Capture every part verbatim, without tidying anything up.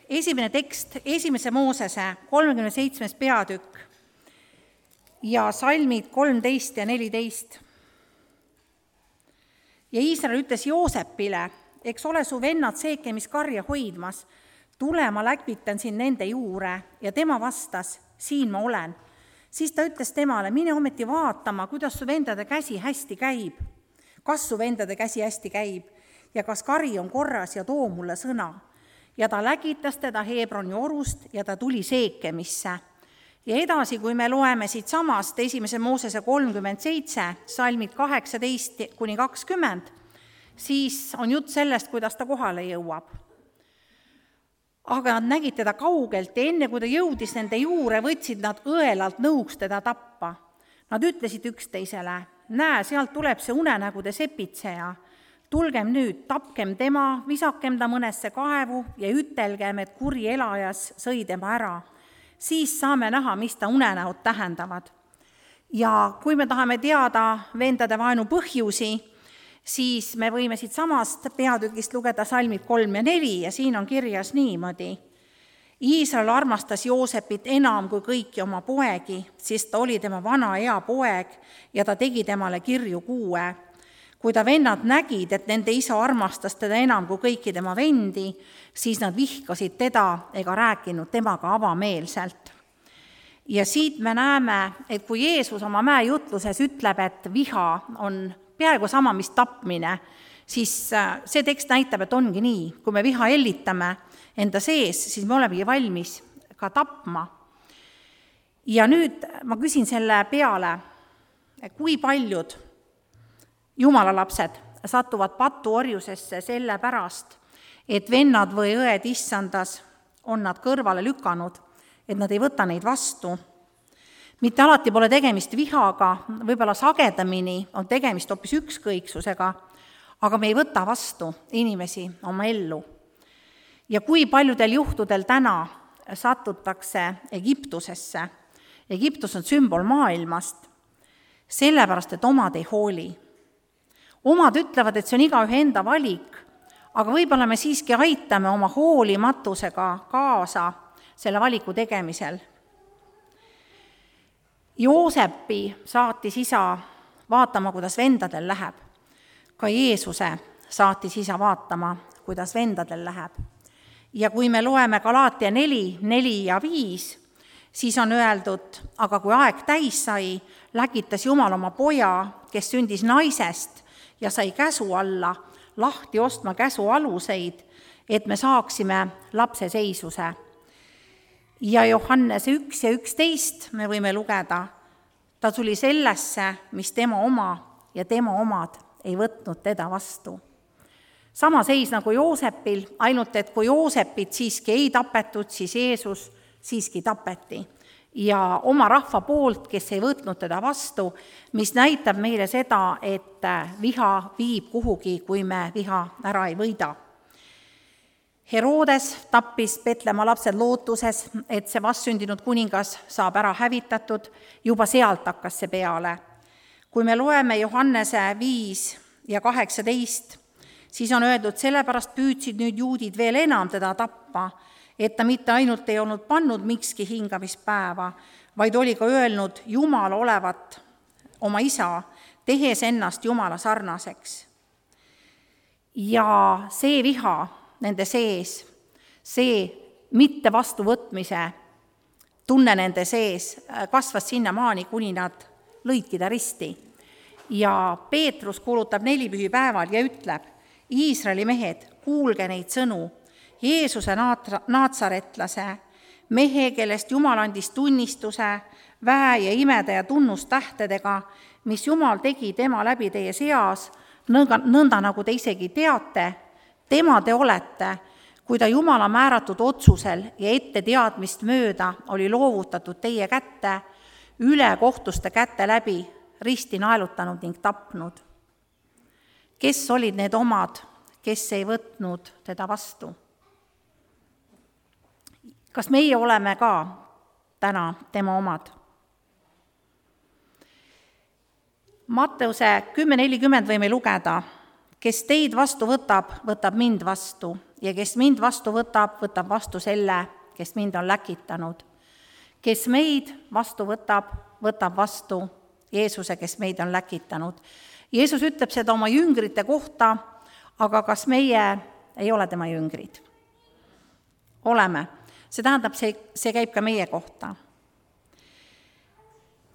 esimene tekst, esimese Moosese kolmekümne seitsmes peatükk ja salmid kolmteist ja neliteist. Ja Iisrael ütles Joosepile, eks ole su vennad seekemiskarja hoidmas, tule, ma läkvitan sind nende juure, ja tema vastas, siin ma olen. Siis ta ütles temale, mine ometi vaatama, kuidas su vendade käsi hästi käib, kas su vendade käsi hästi käib ja kas kari on korras ja too mulle sõna. Ja ta läkitas teda Hebroni orust ja ta tuli Seekemisse. Ja edasi, kui me loeme siit samast esimese Moosese kolmkümmend seitse, salmid kaheksateist kuni kakskümmend, siis on jutt sellest, kuidas ta kohale jõuab. Aga nad nägid teda kaugelt ja enne, kui ta jõudis nende juure, võtsid nad õelalt nõuks teda tappa. Nad ütlesid üksteisele, näe, sealt tuleb see unenägude sepitseja. Tulgem nüüd, tapkem tema, visakem ta mõnesse kaevu ja ütelgem, et kuri elajas sõi tema ära. Siis saame näha, mis ta unenäod tähendavad. Ja kui me tahame teada vendade vaenu põhjusi, siis me võime siit samast peatükist lugeda salmid kolm ja neli ja siin on kirjas niimoodi. Iisrael armastas Joosepit enam kui kõiki oma poegi, sest ta oli tema vana ea poeg ja ta tegi temale kirju kuue. Kui ta vennad nägid, et nende isa armastas teda enam kui kõiki tema vendi, siis nad vihkasid teda ega rääkinud temaga avameelselt. Ja siit me näeme, et kui Jeesus oma mäejutluses ütleb, et viha on peaaegu sama, mis tapmine, siis see tekst näitab, et ongi nii. Kui me viha hellitame enda sees, siis me olemegi valmis ka tapma. Ja nüüd ma küsin selle peale, kui paljud Jumala lapsed satuvad patuorjusesse selle pärast, et vennad või õed issandas on nad kõrvale lükanud, et nad ei võta neid vastu. Mitte alati pole tegemist vihaga, võib-olla sagedamini on tegemist hoopis ükskõiksusega, aga me ei võta vastu inimesi oma ellu. Ja kui paljudel juhtudel täna satutakse Egiptusesse, Egiptus on sümbol maailmast, sellepärast, et omad ei hooli. Omad ütlevad, et see on igaühe enda valik, aga võib-olla me siiski aitame oma hoolimatusega kaasa selle valiku tegemisel. Joosepi saatis isa vaatama, kuidas vendadel läheb. Ka Jeesuse saatis isa vaatama, kuidas vendadel läheb. Ja kui me loeme Galaatia neli, neli ja viis, siis on öeldud, aga kui aeg täis sai, läkitas Jumal oma poja, kes sündis naisest ja sai käsu alla, lahti ostma käsu aluseid, et me saaksime lapse seisuse. Ja Johannese üks ja üksteist me võime lugeda, ta tuli sellesse, mis tema oma ja tema omad ei võtnud teda vastu. Sama seis nagu Joosepil, ainult et kui Joosepit siiski ei tapetud, siis Jeesus siiski tapeti. Ja oma rahva poolt, kes ei võtnud teda vastu, mis näitab meile seda, et viha viib kuhugi, kui me viha ära ei võida. Herodes tappis Petlemma lapsed lootuses, et see vastsündinud kuningas saab ära hävitatud, juba sealt hakkas see peale. Kui me loeme Johannese viis ja kaheksateist, siis on öeldud, sellepärast püüdsid nüüd juudid veel enam teda tappa, et ta mitte ainult ei olnud pannud mikski hingamispäeva, vaid oli ka öelnud Jumal olevat oma isa, tehes ennast Jumala sarnaseks. Ja see viha nende sees, see mitte vastuvõtmise tunne nende sees kasvas sinnamaani, kuni nad lõidki ta risti. Ja Peetrus kuulutab nelipühipäeval ja ütleb, Iisraeli mehed, kuulge neid sõnu, Jeesuse naatsaretlase, mehe, kellest Jumal andis tunnistuse, väe ja imede ja tunnustähtedega, mis Jumal tegi tema läbi teie seas, nõnda, nõnda nagu te isegi teate, tema te olete, kui ta Jumala määratud otsusel ja ette teadmist mööda oli loovutatud teie kätte, üle kohtuste kätte läbi, risti naelutanud ning tapnud. Kes olid need omad, kes ei võtnud teda vastu? Kas meie oleme ka täna tema omad? Matteuse kümme nelikümmend võime lugeda, kes teid vastu võtab, võtab mind vastu, ja kes mind vastu võtab, võtab vastu selle, kes mind on läkitanud. Kes meid vastu võtab, võtab vastu Jeesuse, kes meid on läkitanud. Jeesus ütleb seda oma jüngrite kohta, aga kas meie ei ole tema jüngrid? Oleme. See tähendab, see, see käib ka meie kohta.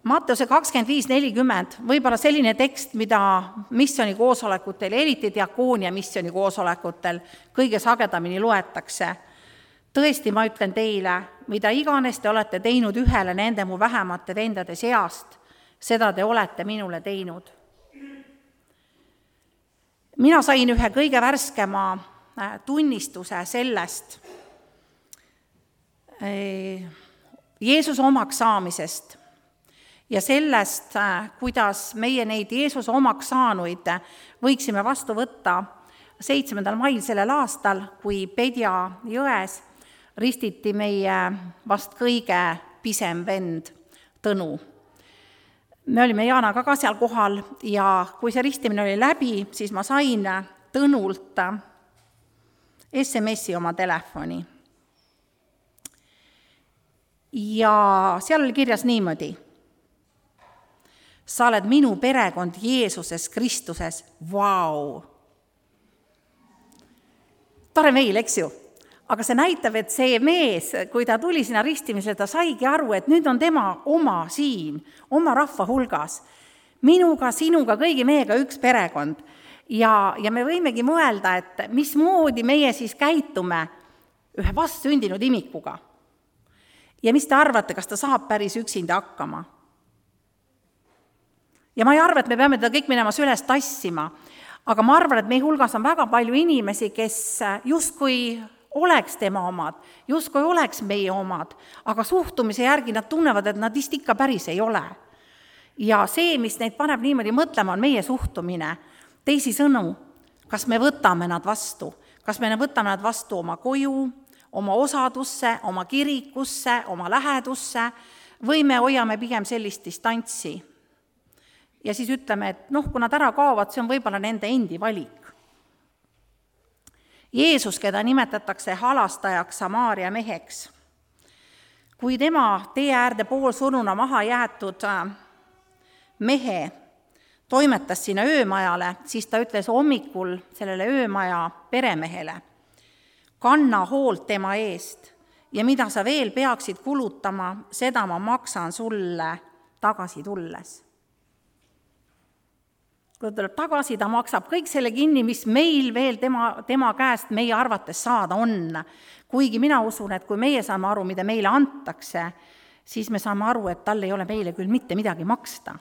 Matteuse kakskümmend viis nelikümmend, võib-olla selline tekst, mida missiooni koosolekutel, eriti diakoonia missiooni koosolekutel kõige sagedamini loetakse. Tõesti, ma ütlen teile, mida iganes te olete teinud ühele nende mu vähemate vendade seast, seda te olete minule teinud. Mina sain ühe kõige värskema tunnistuse sellest Jeesuse omaks saamisest ja sellest, kuidas meie neid Jeesuse omaks saanuid võiksime vastu võtta seitsmendal mail sellel aastal, kui Pedja jões ristiti meie vast kõige pisem vend Tõnu. Me olime Jaanaga ka seal kohal ja kui see ristimine oli läbi, siis ma sain Tõnult S M S-i oma telefoni. Ja seal oli kirjas niimoodi. Sa oled minu perekond Jeesuses Kristuses, vau! Tore meil, eks ju? Aga see näitab, et see mees, kui ta tuli sinna ristimisele, ta saigi aru, et nüüd on tema oma siin, oma rahva hulgas. Minuga, sinuga, kõigi meiega üks perekond. Ja, ja me võimegi mõelda, et mismoodi meie siis käitume ühe vastsündinud imikuga. Ja mis te arvate, kas ta saab päris üksinda hakkama? Ja ma ei arva, et me peame teda kõik minema süles tassima, aga ma arvan, et meie hulgas on väga palju inimesi, kes justkui oleks tema omad, justkui oleks meie omad, aga suhtumise järgi nad tunnevad, et nad vist ikka päris ei ole. Ja see, mis neid paneb niimoodi mõtlema, on meie suhtumine. Teisi sõnu, kas me võtame nad vastu, kas me võtame nad vastu oma koju, oma osadusse, oma kirikusse, oma lähedusse või me hoiame pigem sellist distantsi. Ja siis ütleme, et noh, kui nad ära kaovad, see on võib-olla nende endi valik. Jeesus, keda nimetatakse halastajaks Samaaria meheks, kui tema tee äärde poolsuruna maha jäetud mehe toimetas sinna öömajale, siis ta ütles hommikul sellele öömaja peremehele, kanna hoolt tema eest ja mida sa veel peaksid kulutama, seda ma maksan sulle tagasi tulles. Kui ta tuleb tagasi, ta maksab kõik selle kinni, mis meil veel tema, tema käest meie arvates saada on. Kuigi mina usun, et kui meie saame aru, mida meile antakse, siis me saame aru, et tal ei ole meile küll mitte midagi maksta.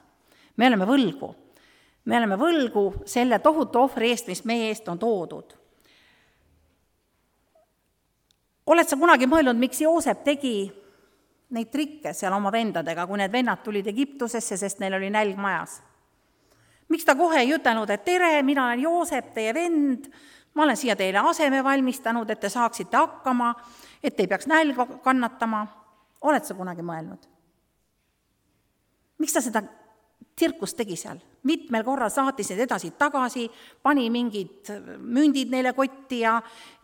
Me oleme võlgu. Me oleme võlgu selle tohutu ohvri eest, mis meie eest on toodud. Oled sa kunagi mõelnud, miks Joosep tegi neid trikke seal oma vendadega, kui need vennad tulid Egiptusesse, sest neil oli nälg majas? Miks ta kohe ei ütelnud, et tere, mina olen Joosep, teie vend, ma olen siia teile aseme valmistanud, et te saaksite hakkama, et te ei peaks nälga kannatama? Oled sa kunagi mõelnud? Miks ta seda tsirkust tegi seal? Mitmel korral saatis need edasi tagasi, pani mingid mündid neile kotti ja,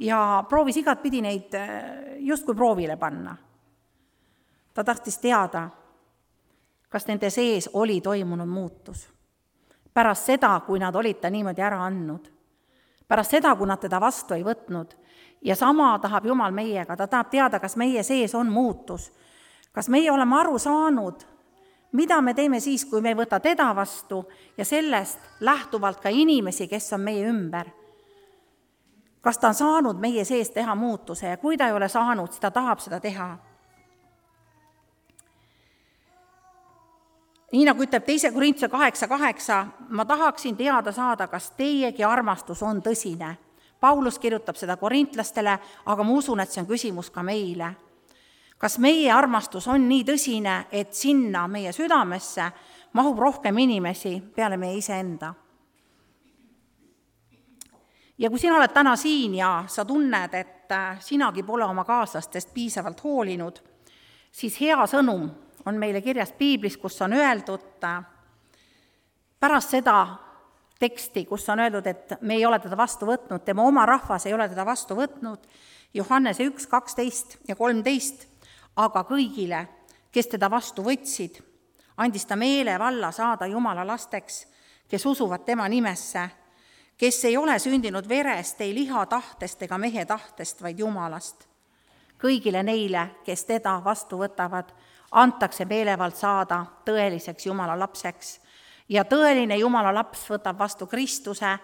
ja proovis igat pidi neid justkui proovile panna. Ta tahtis teada, kas nende sees oli toimunud muutus. Pärast seda, kui nad olid ta niimoodi ära andnud. Pärast seda, kui nad teda vastu ei võtnud. Ja sama tahab Jumal meiega. Ta tahab teada, kas meie sees on muutus. Kas meie oleme aru saanud, mida me teeme siis, kui me ei võta teda vastu ja sellest lähtuvalt ka inimesi, kes on meie ümber. Kas ta on saanud meie sees teha muutuse ja kui ta ei ole saanud, siis ta tahab seda teha. Nii nagu ütleb teise Korintuse kaheksa kaheksa, ma tahaksin teada saada, kas teiegi armastus on tõsine. Paulus kirjutab seda korintlastele, aga ma usun, et see on küsimus ka meile. Kas meie armastus on nii tõsine, et sinna meie südamesse mahub rohkem inimesi peale meie iseenda? Ja kui sina oled täna siin ja sa tunned, et sinagi pole oma kaaslastest piisavalt hoolinud, siis hea sõnum on meile kirjas Piiblis, kus on öeldud, pärast seda, teksti, kus on öeldud, et me ei ole teda vastu võtnud, tema oma rahvas ei ole teda vastu võtnud, Johannese üks, kaksteist ja kolmteist, aga kõigile, kes teda vastu võtsid, andis ta meelevalla saada Jumala lasteks, kes usuvad tema nimesse, kes ei ole sündinud verest, ei liha tahtest ega mehe tahtest, vaid Jumalast. Kõigile neile, kes teda vastu võtavad, antakse meelevald saada tõeliseks Jumala lapseks. Ja tõeline Jumala laps võtab vastu Kristuse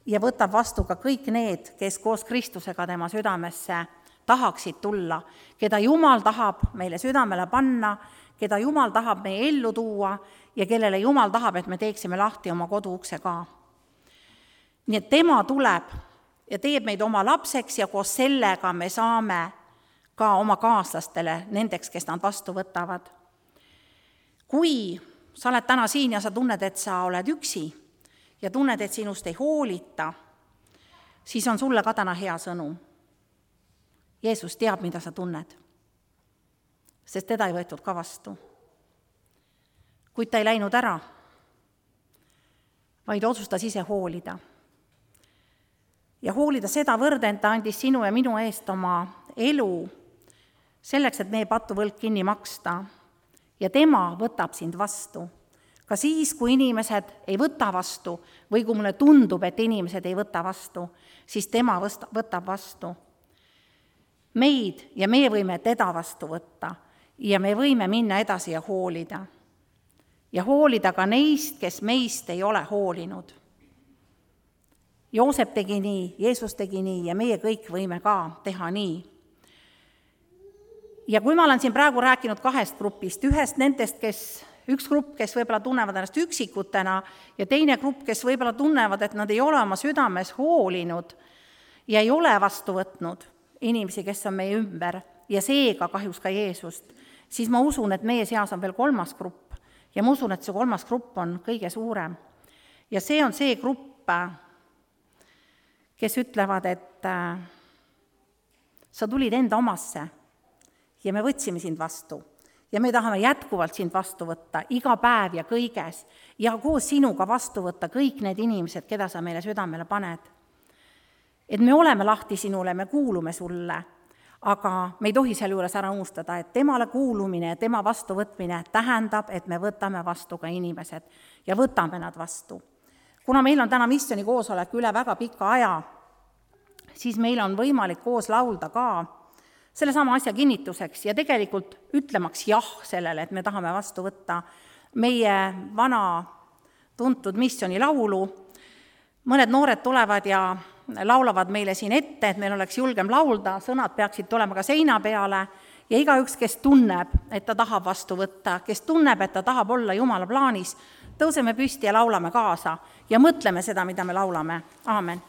ja võtab vastu ka kõik need, kes koos Kristusega tema südamesse tahaksid tulla, keda Jumal tahab meile südamele panna, keda Jumal tahab meie ellu tuua ja kellele Jumal tahab, et me teeksime lahti oma koduukse ka. Nii et tema tuleb ja teeb meid oma lapseks ja koos sellega me saame ka oma kaaslastele, nendeks, kes nad vastu võtavad. Kui sa oled täna siin ja sa tunned, et sa oled üksi ja tunned, et sinust ei hoolita, siis on sulle ka täna hea sõnum. Jeesus teab, mida sa tunned, sest teda ei võetud ka vastu. Kuid ta ei läinud ära, vaid otsustas ise hoolida. Ja hoolida seda võrden, ta andis sinu ja minu eest oma elu selleks, et meie patuvõlg kinni maksta. Ja tema võtab sind vastu. Ka siis, kui inimesed ei võta vastu või kui mulle tundub, et inimesed ei võta vastu, siis tema võtab vastu meid ja meie võime teda vastu võtta ja me võime minna edasi ja hoolida. Ja hoolida ka neist, kes meist ei ole hoolinud. Joosep tegi nii, Jeesus tegi nii ja meie kõik võime ka teha nii. Ja kui ma olen siin praegu rääkinud kahest grupist, ühest nendest, kes, üks grupp, kes võib-olla tunnevad ennast üksikutena ja teine grupp, kes võib-olla tunnevad, et nad ei ole oma südames hoolinud ja ei ole vastu võtnud inimesi, kes on meie ümber ja seega kahjuks ka Jeesust, siis ma usun, et meie seas on veel kolmas grupp ja ma usun, et see kolmas grupp on kõige suurem. Ja see on see grupp, kes ütlevad, et sa tulid enda omasse ja me võtsime sind vastu ja me tahame jätkuvalt sind vastu võtta iga päev ja kõiges ja koos sinuga vastu võtta kõik need inimesed, keda sa meile südamele paned. Et me oleme lahti sinule, me kuulume sulle, aga me ei tohi selle juures ära unustada, et temale kuulumine ja tema vastuvõtmine tähendab, et me võtame vastu ka inimesed ja võtame nad vastu. Kuna meil on täna missiooni koosolek üle väga pika aja, siis meil on võimalik koos laulda ka selle sama asja kinnituseks ja tegelikult ütlemaks jah sellele, et me tahame vastu võtta meie vana tuntud missiooni laulu. Mõned noored tulevad ja laulavad meile siin ette, et meil oleks julgem laulda, sõnad peaksid tulema ka seina peale ja igaüks, kes tunneb, et ta tahab vastu võtta, kes tunneb, et ta tahab olla Jumala plaanis, tõuseme püsti ja laulame kaasa ja mõtleme seda, mida me laulame. Aamen.